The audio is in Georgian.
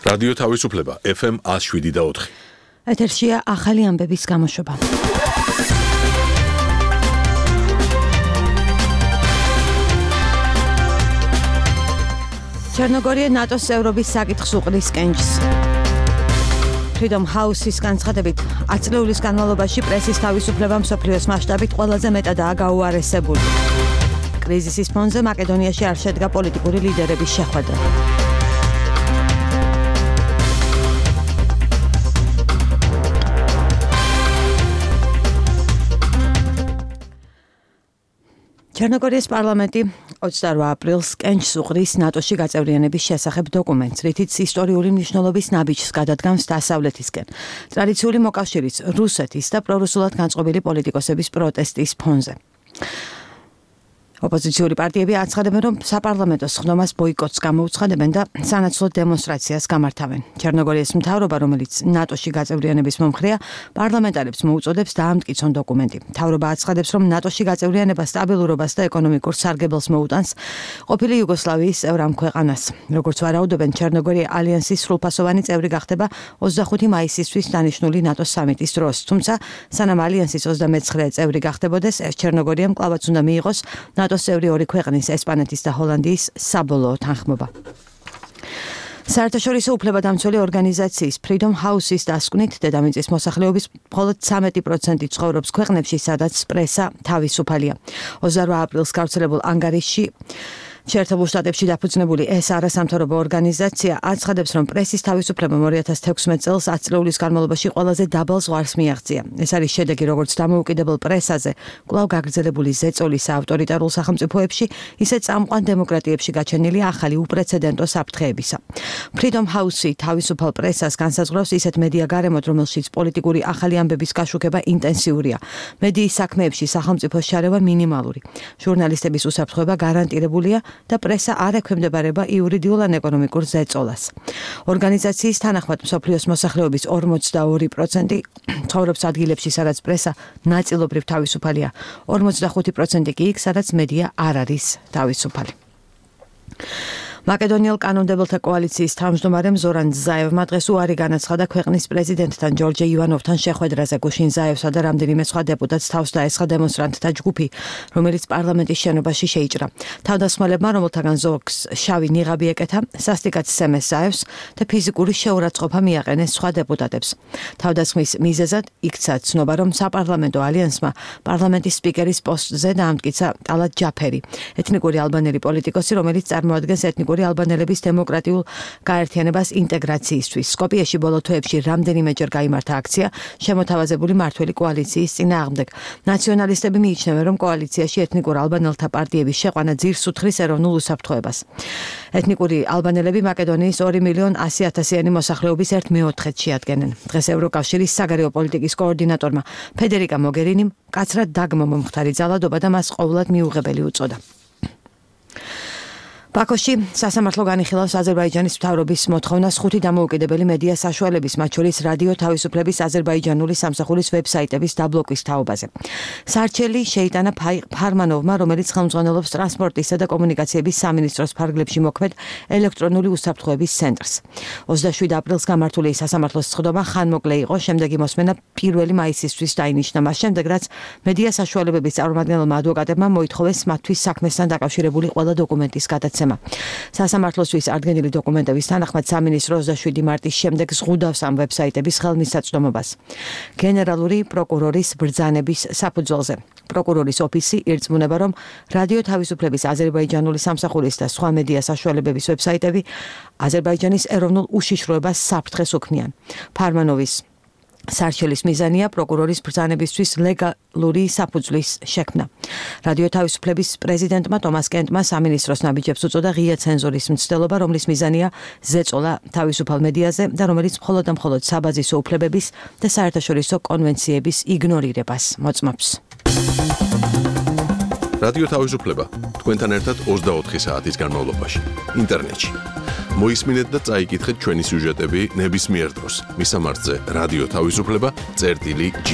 რადიო თავისუფლება FM 107.4. ეთერშია ახალი ამბების გამოშვება. ჩერნოგორია ნატოს წევრობის საკითხს უყრის კენჭს. Freedom House-ის განცხადებით, 10 წლების განმავლობაში პრესის თავისუფლება მსოფლიოს მასშტაბით ყველაზე მეტადაა გაუარესებული. კრიზისის ფონზე მაკედონიაში არ შედგა პოლიტიკური ლიდერების შეხვედრა. ჩერნოგორიის პარლამენტი 28 აპრილს კენჭს უყრის ნატოში გაწევრიანების შესახებ დოკუმენტს, რითიც ისტორიული მნიშვნელობის ნაბიჯს გადადგამს დასავლეთისკენ. ტრადიციული მოკავშირის რუსეთის და პრორუსულად განწყობილი პოლიტიკოსების პროტესტის ფონზე. ოპოზიციური პარტიები აცხადებენ, რომ საპარლამენტო სხდომას ბოიკოტს გამოუცხადებენ და სანაცვლოდ დემონსტრაციას გამართავენ. ჩერნოგორიის მთავრობა, რომელიც ნატოში გაწევრიანების მომხრეა, პარლამენტარებს მოუწოდებს დაამტკიცონ დოკუმენტი. მთავრობა აცხადებს, რომ ნატოში გაწევრიანება სტაბილურობას და ეკონომიკურ სარგებელს მოუტანს ყოფილი იუგოსლავიის წევრ ამ ქვეყანას. როგორც ვარაუდობენ, ჩერნოგორია ალიანსის სრულფასოვანი წევრი გახდება 25 მაისისთვის დანიშნული ნატოს სამიტის დროს. თუმცა, სანამ ალიანსის 29 წევრი გახდებოდეს, ჩერნოგორიამ კვლავაც უნდა მიიღოს ნატოს წევრი ორი ქვეყნის, ესპანეთის და ჰოლანდიის საბოლოო თანხმობა. საერთაშორისო უფლებადამცველი ორგანიზაციის Freedom House-ის დასკვნით, დედამიწის მოსახლეობის მხოლოდ 13% ცხოვრობს ქვეყნებში, სადაც პრესა თავისუფალია. 28 აპრილს გავრცელებულ ანგარიშში შეერთებულ შტატებში დაფუძნებული ეს არასამთავრობო ორგანიზაცია აცხადებს, რომ პრესის თავისუფლება 2016 წელს 10 წლების განმავლობაში ყველაზე დაბალ ზღვარს მიაღწია. ეს არის შედეგი როგორც დამოუკიდებელ პრესაზე, კვლავ გაგრძელებული ზეწოლის ავტორიტარულ სახელმწიფოებში, ისე წამყვან დემოკრატიებში გაჩენილი ახალი უპრეცედენტო საფრთხეებისა. Freedom House-ი თავისუფალ პრესას განსაზღვრავს ისეთ მედია გარემოთ, რომელშიც პოლიტიკური ახალი ამბების გაშუქება ინტენსიურია. მედიის საქმეებში სახელმწიფოს შარევა მინიმალური. ჟურნალისტების უსაფრთხოება გარანტირებულია და პრესა არ ექვემდებარება იურიდიულ ან ეკონომიკურ ზეწოლას. ორგანიზაციის თანახმად მსოფლიოს მოსახლეობის 42% ცხოვრობს ადგილებში, სადაც პრესა ნაწილობრივ თავისუფალია. 45% კი იქ, სადაც მედია არ არის თავისუფალი. მაკედონიელ კანონმდებელთა კოალიციის თავმჯდომარემ ზორან ზაევმა დღეს უარი განაცხადა ქვეყნის პრეზიდენტთან ჯორჯ ივანოვთან შეხვედრაზე. გუშინ ზაევსა და რამდენიმე სხვა დეპუტატს თავს დაესხა დემონსტრანტთა ჯგუფი, რომელიც პარლამენტის შენობაში შეიჭრა. თავდასხმელებმა, რომელთაგან ზოგს შავი ნიღაბი ეკეთა, სასტიკად სცემეს ზაევს და ფიზიკური შეურაცხყოფა მიაყენეს სხვა დეპუტატებს. თავდასხმის მიზეზად იქცა ცნობა, რომ საპარლამენტო ალიანსმა პარლამენტის სპიკერის პოსტზე დაამტკიცა ტალატ ჯაფერი, ეთნიკური ალბანელი პოლიტიკოსი, რომელიც წარმოადგენს ეთნიკური ალბანელების დემოკრატიულ გაერთიანებას ინტეგრაციისთვის. სკოპიეში ბოლო თვეებში რამდენიმეჯერ გაიმართა აქცია შემოთავაზებული მართველი კოალიციის წინააღმდეგ. ნაციონალისტები მიიჩნევენ, რომ კოალიციაში ეთნიკურ ალბანელთა პარტიების შეყვანა ძირს უთხრის ეროვნულ უსაფრთხოებას. ეთნიკური ალბანელები მაკედონიის 2.100.000-იანი მოსახლეობის 1/4-ს შეადგენენ. დღეს ევროკავშირის საგარეო პოლიტიკის კოორდინატორმა ფედერიკა მოგერინიმ მკაცრად დაგმო მომხდარი ძალადობა და მას ყოვლად მიუღებელი უწოდა. ბაქოში სასამართლო განიხილავს აზერბაიჯანის მთავრობის მოთხოვნას 5 დამოუკიდებელი მედია საშუალების, მათ შორის რადიო თავისუფლების აზერბაიჯანული სამსახურის ვებსაიტების დაბლოკვის თაობაზე. სარჩელი შეიტანა ფარმანოვმა, რომელიც ხელმძღვანელობს ტრანსპორტისა და კომუნიკაციების სამინისტროს ფარგლებში მოქმედ ელექტრონული უსაფრთხოების ცენტრს. 27 აპრილს გამართული სასამართლოს სხდომა ხანმოკლე იყო, შემდეგი მოსმენა 1 მაისისთვის დაინიშნა, მას შემდეგ რაც მედია საშუალებების წარმომადგენელმა ადვოკატებმა მოითხოვეს მათთვის საქმესთან დაკავშირებული ყველა დოკუმენტის გადაცემა. სასამართლოსთვის ადგენილი დოკუმენტების თანახმად სამინისტრო 27 მარტის შემდეგ ზღუდავს ამ ვებსაიტების ხელმისაწვდომობას. გენერალური პროკურორის ბრძანების საფუძველზე. პროკურორის ოფისი ირწმუნება, რომ რადიო თავისუფლების აზერბაიჯანული სამსახურის და სხვა მედია საშუალებების ვებსაიტები აზერბაიჯანის ეროვნულ უშიშროებას საფრთხეს უქმნიან. ფარმანოვის სარჩელის მიზანია პროკურორის ბრძანებისთვის ლეგალური საფუძვლის შექმნა. რადიო თავისუფლების პრეზიდენტმა ტომას კენტმა სამინისტროს ნაბიჯებს უწოდა ღია ცენზურის მცდელობა, რომლის მიზანია ზეწოლა თავისუფალ მედიაზე და რომელიც მხოლოდ და მხოლოდ საბაზისო უფლებების და საერთაშორისო კონვენციების იგნორირებას მოწმობს. რადიო თავისუფლება თქვენთან ერთად 24 საათის განმავლობაში ინტერნეტში. მოისმინეთ და წაიკითხეთ ჩვენი სიუჟეტები ნებისმიერ დროს. მისამართზე რადიო თავისუფლება წერტილი G.